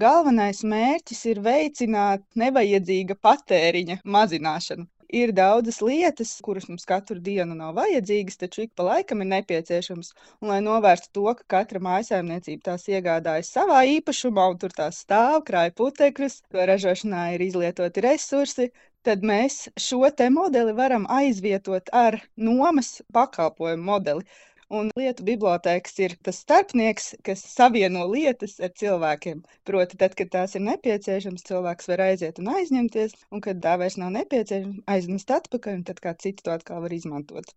Galvenais mērķis ir veicināt nevajadzīga patēriņa mazināšanu. Ir daudzas lietas, kuras mums katru dienu nav vajadzīgas, taču ik pa laikam ir nepieciešamas. Un, lai novērstu to, ka katra mājsaimniecība tās iegādājas savā īpašumā un tur tās stāv, krāj putekļus, to ražošanā ir izlietoti resursi, tad mēs šo te modeli varam aizvietot ar nomas pakalpojumu modeli. Un lietu bibliotēkas ir tas starpnieks, kas savieno lietas ar cilvēkiem. Proti, tad, kad tās ir nepieciešamas, cilvēks var aiziet un aizņemties, un kad tā vairs nav nepieciešama, aiznest atpakaļ, un tad kā citi to atkal var izmantot.